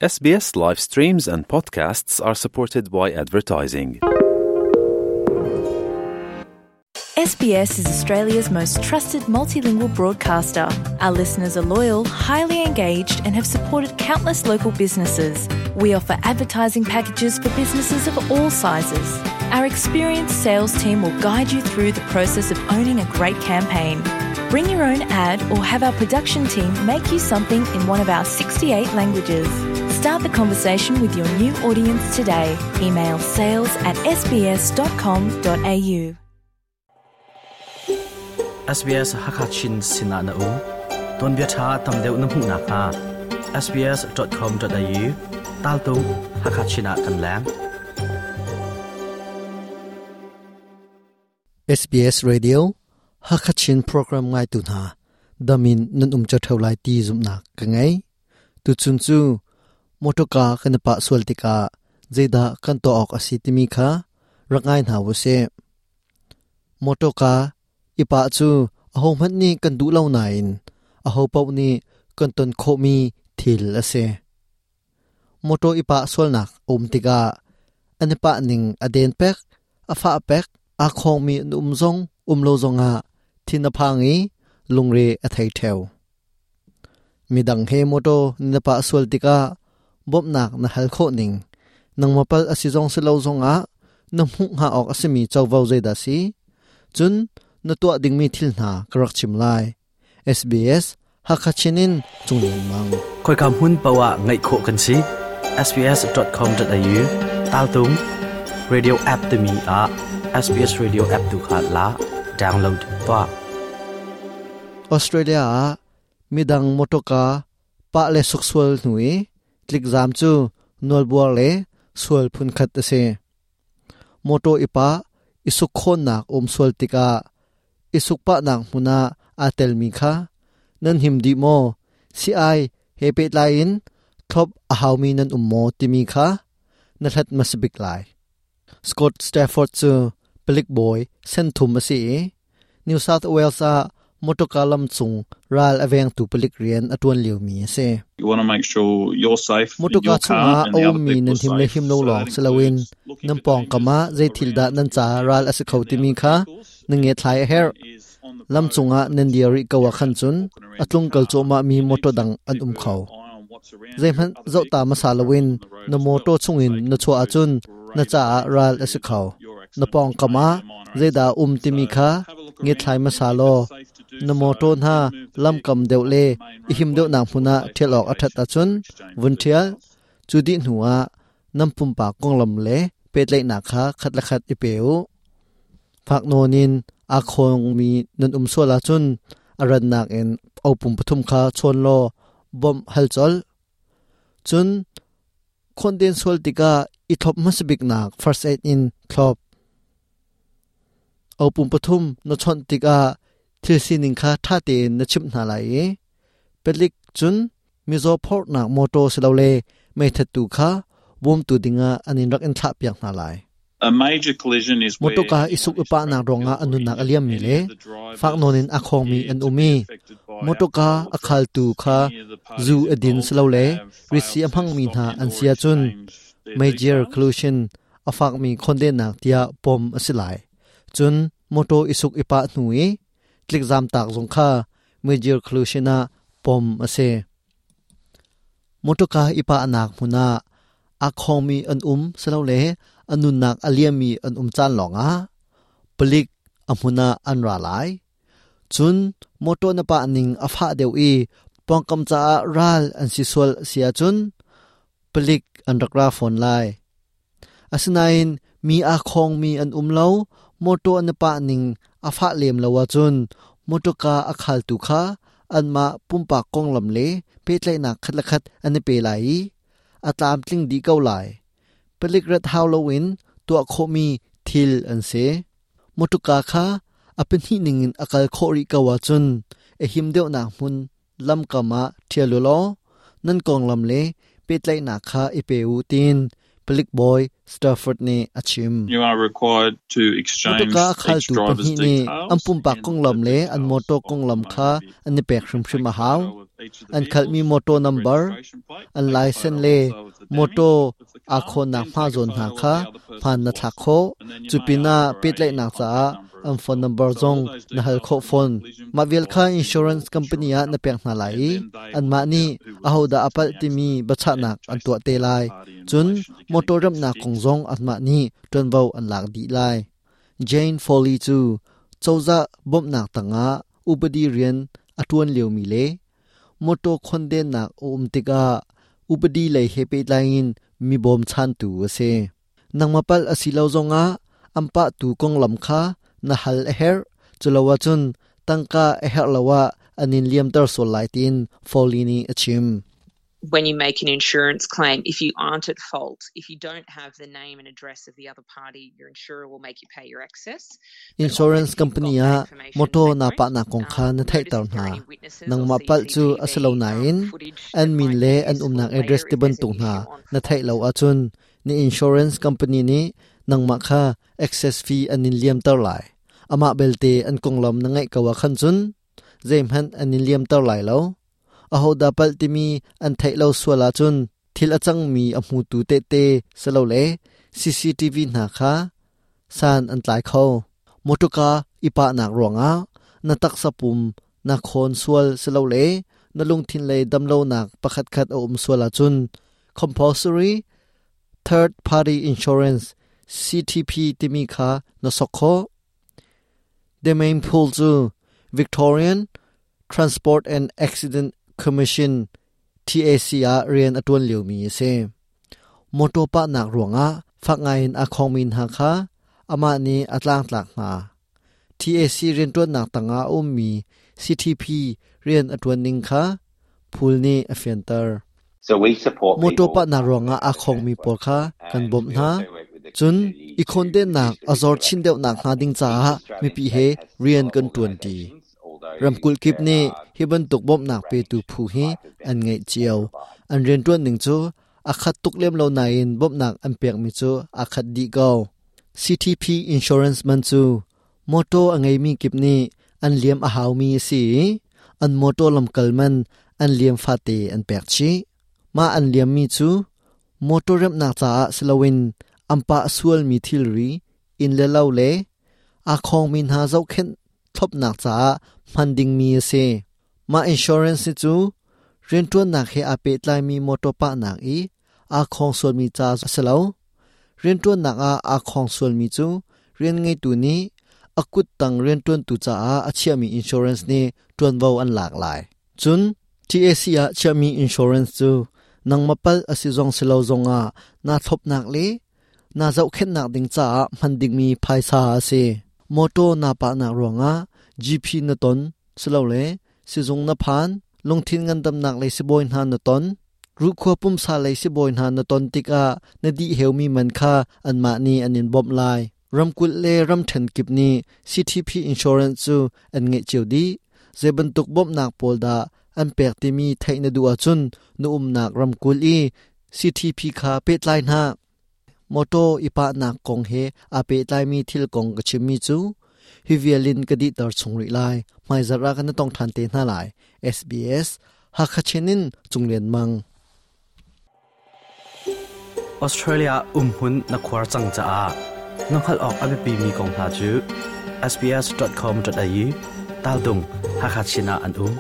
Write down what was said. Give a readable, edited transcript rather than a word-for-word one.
SBS live streams and podcasts are supported by advertising. SBS is Australia's most trusted multilingual broadcaster. Our listeners are loyal, highly engaged, and have supported countless local businesses. We offer advertising packages for businesses of all sizes. Our experienced sales team will guide you through the process of owning a great campaign. Bring your own ad or have our production team make you something in one of our 68 languages. Start the conversation with your new audience today. Email sales at sbs.com.au. SBS Hakachin Sinah na um tuanbia ṭha tam deuh na hmuh nakhnga sbs.com.au taltung Hakachin ah kan leng. SBS Radio Hakachin program ngaitu hna damin nan um cho theu lai ti zumhnak ka ngei. Tuchun cu motorka kan i pah sual tikah zeidah kan tuah awk a si timi kha rak ngai hna u sih. Motorka i pah cu ahohmanh nih kan duh lo nain ahopaoh nih kan ton khawhmi thil a si. Motor i pah sualnak a um tikah an i pah ning a den pek, a fah pek, aa khawngmi an um zong um lo zongah thin a phang i lungre a thei ṭheo. Midang he motor na pah sual tikah bawmhnak na hal khawh ning, nangmah palh a si zong si lo zongah na hmuh hnga awk a simi covo zeidah si? Cun na tuah dingmi thil hna ka rak chim lai. SBS Hakha Chin in Cung Lian Mang. Khoika hmun paoh ah ngaih khawh kan si. sbs.com.au taltung radio app timi ah SBS Radio app tu kha la download tuah. Australia ah midang motorka pah le suksual hnu i tlikzam cu nawlbuar le sual phunkhat a si. Motor i pah i suk khawnnak um sual tikah i sukpahnak hmun ah aa telmi kha nan him dih maw, si-ai he pehtlai in thlop a haumi nan um maw timi kha na hlat hmasa bik lai. Scott Stafford cu palik bawi senthum a si i New South Wales ah motorka lam cung ral a vengtu palik rian a ṭuan liomi a si. Motorka chungah a ummi nan him le him lo lawng si loin nan pawngkam ah zei thil dah nan caah ral a si kho timi kha na ngethlai a herh. Lam cungah nan dir rih ko ah khan cun a tlungkal cuahmahmi motor dang an um kho. Zeihmanh zohta hmasa loin na motor chungin na chuah ahcun na caah ral a si kho. Na pawngkam ah zeidah a um timi kha ngethlai hmasa law na motor hna lamkam deuh le i him deuhnak hmun ah ṭhial awk a ṭhat ahcun vun ṭhial. Cu dih hnuah nan pumpak konglam le pehtlaihnak kha khat le khat i pe u. Fak nawn in aa khawngmi nan um sual ahcun a rannak in opum pathum kha chawn law bawmh hal colh. Cun khawnden sual tikah i thlop hmasa biknak first aid in thlop. Opum pathum na chawnh tikah thil sining kha ṭha tein na chimh hna lai i palik cun mizaw phorhnak mawṭaw silole meithattu kha bawmtu dingah an in rak in thlahpiak hna lai. Mawṭawka i suk i pahnak ruangah a nunnak a liammi le fak nawn in a khawngmi an um i mawṭawka a khaltu kha zu a din silole ritsi a hmangmi hna an si ahcun major collision a fakmi khondennak tiah pom a si lai. Cun mawṭaw i suk i pah hnu i tlikzam tak zong kha major collision ah pom a si. Motorka i pahnak hmun ah aa khawngmi an um silole a nunnak a liammi an um caan lawngah palik a hmun ah an ra lai. Cun motor na pah ning a fah deuh i pawngkam caah ral an si sual si ahcun palik an rak ra fawn lai. Asinain mi aa khawngmi an um lo, mawṭaw an i pah ning a fah lem lo ahcun mawṭawka a khaltu kha anmah pumpak konglam le pehtlaihnak khat le khat an i pe lai i a tlamtling dih ko lai. Palik rat hau loin tuah khawhmi thil an si. Mawṭawka kha a pahnih ningin a kal khawh rih ko ahcun a him deuhnak hmun lamkam ah ṭhial u law nan konglam le pehtlaihnak kha i pe u tiin palik bawi Stafford nih a chim. You are required to exchange Motorka a each khaltu driver's pahnih nih details an pumpak and konglam the le an details motor of the konglam motor kha vehicle. an i pek Take hrimhrim a a hau. photo of each of the An khalmi vehicles, motor the number, registration plate, an take a license photo le also of the damage motor of the aa car, khawnnak then hma take a zawn hna photo of kha the other hmaan person's na thlak license. khawh. And then you Cu may pinah ask for a pehtlaihnak contact caah number an as phone well. number So all zong those na hal details khawh can be fawn. collision Mah vial kha provided to your insurance company insurance ah na pek company. hna lai And i then they will anmah work nih out who was ahodah a involved in palh the timi accident and biachahnak an chase tuah the te third lai. party in Cun relation to getting motor things remnak kong fixed. zong anmah nih ṭuanvo an lak dih lai. Jane Foley cu cozah bawmhnak tangah upadi rian a ṭuan liomi le motor khondennak a um tikah upadi lei he pehtlai in mi bawmchantu a si. Nangmah palh a si lo zongah an pahtu konglam kha na hal a herh. Culo ahcun tangka a herh lo ah an in liamter sual lai tiin Foley nih a chim. When you make an insurance claim, if you aren't at fault, if you don't have the name and address of the other party, your insurer will make you pay your excess. But often Insurance if you've got company that ah information, motor they na won't. pahnak kong kha na Notice theihter if there are hna. any witnesses or Nangmah palh cu a si lo CCTV nain footage an that min might le be an useful umnak later address if ti there's an bantuk hna issue on na theih lo fault. ahcun ni insurance company nih nangmah kha excess fee an in liamter lai. Amah belte an konglam na ngaih ko ah khan cun zeihmanh an in liamter lai lo. Ahodah palh timi an theih lo sual ahcun thil a cangmi a hmutu tehte silole CCTV hna kha san an tlai kho. Motorka i pahnak ruangah na taksa pum na khawn sual silole na lungthin lei damlonak pakhatkhat a um sual ahcun compulsory third party insurance CTP timi kha na sok khawh. Demain Pool cu Victorian Transport and Accident Commission TAC ah rian a ṭuan liomi a si. Motor pahnak ruangah fak ngaiin a khongmi hna kha amah nih a tlangtlak hna. TAC rianṭuannak tangah a ummi CTP rian a ṭuan ning kha Pool nih a fianter. So we support Motor people pahnak um, ruangah with aa their khongmi transport pawl kha kan and bawmh we hna. also work with the Cun community i to khawndennak reduce the a risk zor of chin deuhnak accidents hnga ding happening. Each caah Australian mipi he state has rian similar kan ṭuanṭi. organisations, although Ramkulh kip there nih are hi bantuk bawmhnak range petu phu hi type of an ngeih benefits they cio. provide. An rianṭuan ning cu a khat tuk lem lo nain bawmhnak an pekmi cu aa khat dih ko. CTP insurance man cu motor a ngeimi kip nih an liam a haumi a si i an motor lamkal man an liam fate an pek chih. Mah an liammi cu motor remhnak caah si loin an pah sualmi thilri, inn le lo le aa khawngmi hna zohkhenh thlopnak caah hman dingmi a si. Mah insurance hi cu rianṭuannak he aa pehtlaimi motor pahnak i aa khawng sualmi ca a si lo. Rianṭuannak ah aa khawng sualmi cu rian ngeitu nih a kuttang rianṭuantu caah a chiahmi insurance nih ṭuanvo an lak lai. Cun TAC ah chiahmi insurance cu nangmah palh a si zong si lo zongah naa thlopnak le naa zohkhenhnak ding caah hman dingmi phaisa a si. Motor naa pahnak ruangah GP na ton silole sizung na phan, lungthin ngandamnak lei sibawi hna na ton, ruhkhua pumsa lei sibawi hna na ton tikah na dih heumi man kha anmah nih an in bawmh lai. Ramkulh le ramṭhen kip nih CTP insurance cu an ngeih cio dih. Zei bantuk bawmhnak pawl dah an pek timi theih na duh ahcun na umnak ramkulh i CTP kha pehtlai hna. Motor i pahnak kong he aa pehtlaimi thil kong ka chimmi cu hi vial in ka dihter chung rih lai. Hmaizarh ah kan i tong ṭhan te hna lai. SBS Hakha Chin in Cunglian Mang. Australia umhmun na khuar cang caah na hngalh awk a biapimi kong hna cu sbs.com.au tal dung Hakha Chin ah an um.